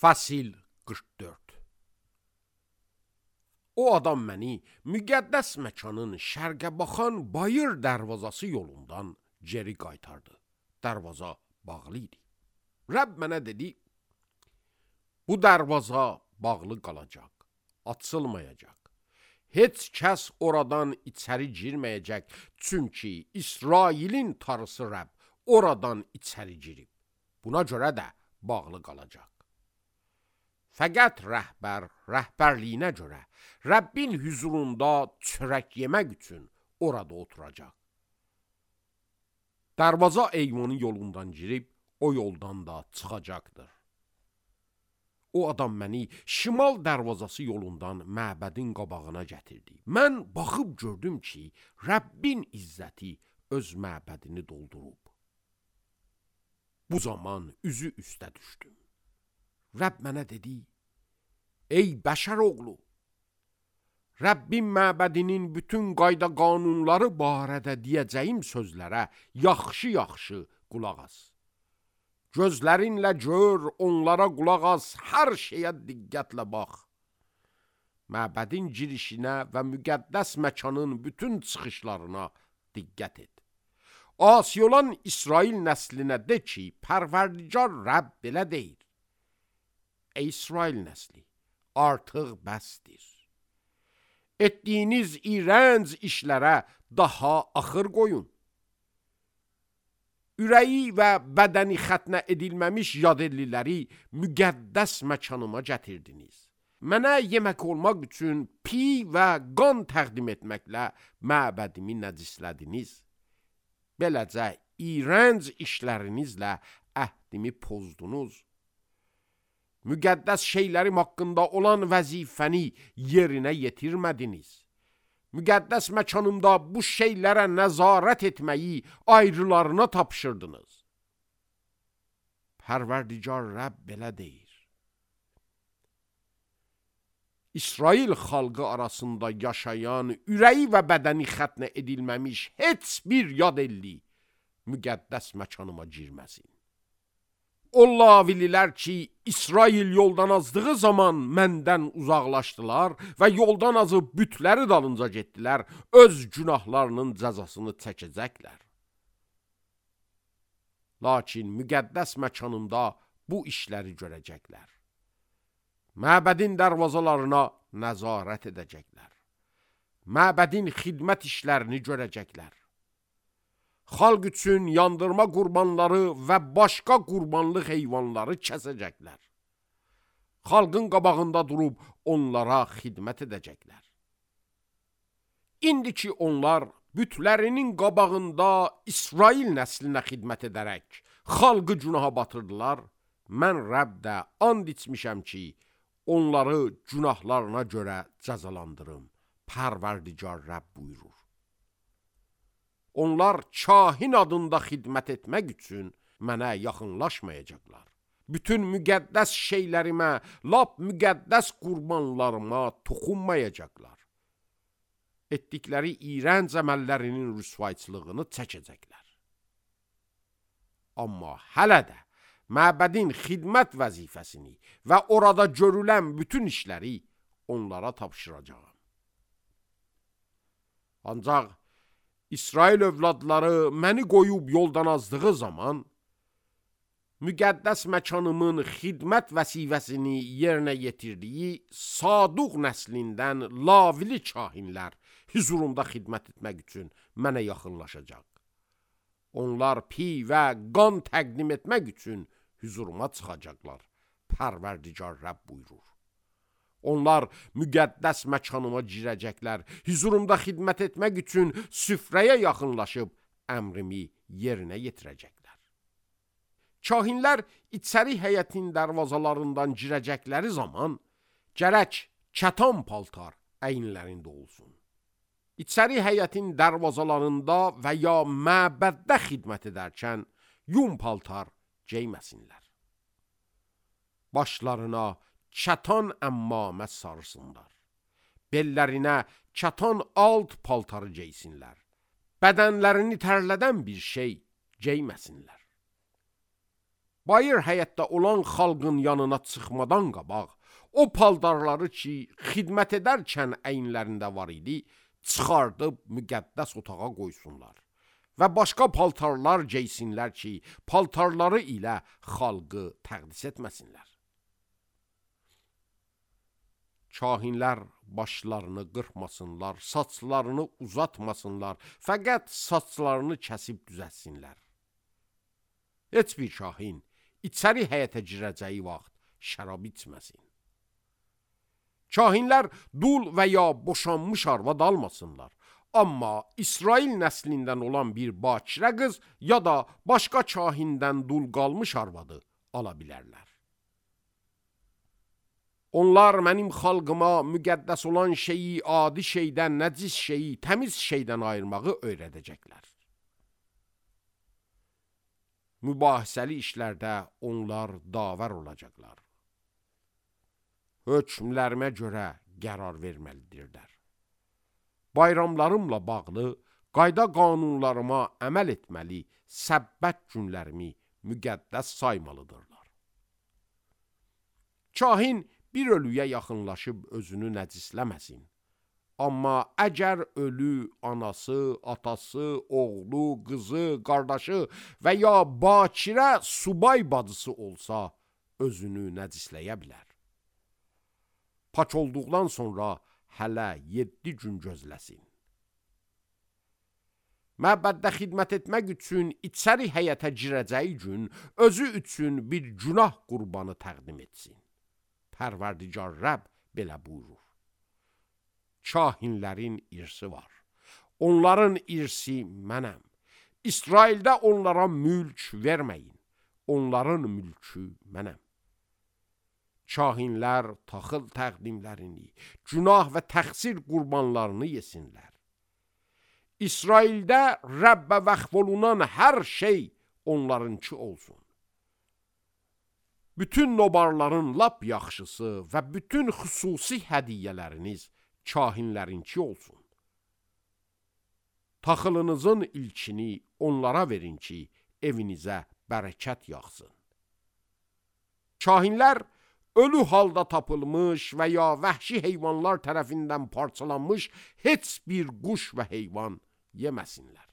Fəsil 44. O adam məni müqəddəs məkanın şərqə baxan bayır dərvazası yolundan geri qaytardı. Dərvaza bağlı idi. Rəbb mənə dedi, bu dərvaza bağlı qalacaq, açılmayacaq. Heç kəs oradan içəri girməyəcək, çünki İsrailin tarısı Rəbb oradan içəri girib. Buna görə də bağlı qalacaq. Fəqət rəhbər rəhbərliyinə görə Rəbbin hüzurunda çörək yemək üçün orada oturacaq. Dərvaza eyvanın yolundan girib, o yoldan da çıxacaqdır. O adam məni şimal dərvazası yolundan məbədin qabağına gətirdi. Mən baxıb gördüm ki, Rəbbin izzəti öz məbədini doldurub. Bu zaman üzü üstə düşdüm. Rəbb mənə dedi, ey bəşər oğlu, Rəbbin məbədinin bütün qayda qanunları barədə deyəcəyim sözlərə yaxşı-yaxşı qulaq as. Gözlərinlə gör, onlara qulaq as, hər şeyə diqqətlə bax. Məbədin girişinə və müqəddəs məkanın bütün çıxışlarına diqqət et. Asi olan İsrail nəslinə de ki, Pərverdigar Rəbb belə deyir. Ey İsrail nəsli, artıq bəsdir. Etdiyiniz iğrənc işlərə daha axır qoyun. Ürəyi və bədəni xətnə edilməmiş yadelliləri müqəddəs məkanıma gətirdiniz. Mənə yemək olmaq üçün piy və qan təqdim etməklə məbədimi nəcislədiniz. Beləcə iğrənc işlərinizlə əhdimi pozdunuz. Müqəddəs şeylərim haqqında olan vəzifəni yerinə yetirmədiniz. Müqəddəs məkanımda bu şeylərə nəzarət etməyi ayrılarına tapşırdınız. Pərverdigar Rəbb belə deyir. İsrail xalqı arasında yaşayan, ürəyi və bədəni xətnə edilməmiş heç bir yad elli müqəddəs məkanıma girməsin. O lavililər ki, İsrail yoldan azdığı zaman məndən uzaqlaşdılar və yoldan azıb bütləri dalınca getdilər, öz günahlarının cəzasını çəkəcəklər. Lakin müqəddəs məkanımda bu işləri görəcəklər. Məbədin dərvazalarına nəzarət edəcəklər. Məbədin xidmət işlərini görəcəklər. Xalq üçün yandırma qurbanları və başqa qurbanlıq heyvanları kəsəcəklər. Xalqın qabağında durub onlara xidmət edəcəklər. İndi ki onlar bütlərinin qabağında İsrail nəslinə xidmət edərək xalqı günaha batırdılar, mən Rəbb də and içmişəm ki, onları günahlarına görə cəzalandırım. Pərverdigar Rəbb buyurur. Onlar kahin adında xidmət etmək üçün mənə yaxınlaşmayacaqlar. Bütün müqəddəs şeylərimə, lap müqəddəs qurbanlarıma toxunmayacaqlar. Etdikləri iğrənc əməllərinin rüsvayçılığını çəkəcəklər. Amma hələ də məbədin xidmət vəzifəsini və orada görülən bütün işləri onlara tapşıracağam. Ancaq İsrail övladları məni qoyub yoldan azdığı zaman, müqəddəs məkanımın xidmət vəzifəsini yerinə yetirdiyi Saduq nəslindən lavili kahinlər hüzurumda xidmət etmək üçün mənə yaxınlaşacaq. Onlar piy və qan təqdim etmək üçün hüzuruma çıxacaqlar. Pərverdigar Rəbb buyurur. Onlar müqəddəs məkanıma girəcəklər, hüzurumda xidmət etmək üçün süfrəyə yaxınlaşıb əmrimi yerinə yetirəcəklər. Kahinlər içəri həyətin dərvazalarından girəcəkləri zaman gərək kətan paltar əyinlərində olsun. İçəri həyətin dərvazalarında və ya məbəddə xidmət edərkən yun paltar geyməsinlər. Başlarına kətan əmmamə sarsınlar. Bellərinə kətan alt paltarı geysinlər. Bədənlərini tərlədən bir şey geyməsinlər. bayır həyətdə olan xalqın yanına çıxmadan qabaq, o paltarları ki, xidmət edərkən əyinlərində var idi, çıxardıb müqəddəs otağa qoysunlar və başqa paltarlar geysinlər ki, paltarları ilə xalqı təqdis etməsinlər. Kahinlər başlarını qırpmasınlar, saçlarını uzatmasınlar, fəqət saçlarını kəsib düzətsinlər. Heç bir kahin içəri həyətə girəcəyi vaxt şərab içməsin. Kahinlər dul və ya boşanmış arvad almasınlar. Amma İsrail nəslindən olan bir bakirə qız ya da başqa kahindən dul qalmış arvadı ala bilərlər. Onlar mənim xalqıma müqəddəs olan şeyi adi şeydən, nəcis şeyi təmiz şeydən ayırmağı öyrədəcəklər. Mübahisəli işlərdə onlar davər olacaqlar. Hökmlərimə görə qərar verməlidirlər. Bayramlarımla bağlı qayda qanunlarıma əməl etməli, səbbət günlərimi müqəddəs saymalıdırlar. Kahin bir ölüyə yaxınlaşıb özünü nəcisləməsin. Amma əgər ölü anası, atası, oğlu, qızı, qardaşı və ya bakirə subay bacısı olsa, özünü nəcisləyə bilər. Pak olduqdan sonra hələ 7 gün gözləsin. Məbəddə xidmət etmək üçün içəri həyətə girəcəyi gün özü üçün bir günah qurbanı təqdim etsin. Pərverdigar Rəbb belə buyurur. Kahinlərin irsi var. Onların irsi mənəm. İsraildə onlara mülk verməyin. Onların mülkü mənəm. Kahinlər taxıl təqdimlərini, günah və təqsir qurbanlarını yesinlər. İsraildə Rəbbə vəqf olunan hər şey onlarınki olsun. Bütün nobarların lap yaxşısı və bütün xüsusi hədiyyələriniz kahinlərinki olsun. Taxılınızın ilkini onlara verin ki, evinizə bərəkət yağsın. Kahinlər ölü halda tapılmış və ya vəhşi heyvanlar tərəfindən parçalanmış heç bir quş və heyvan yeməsinlər.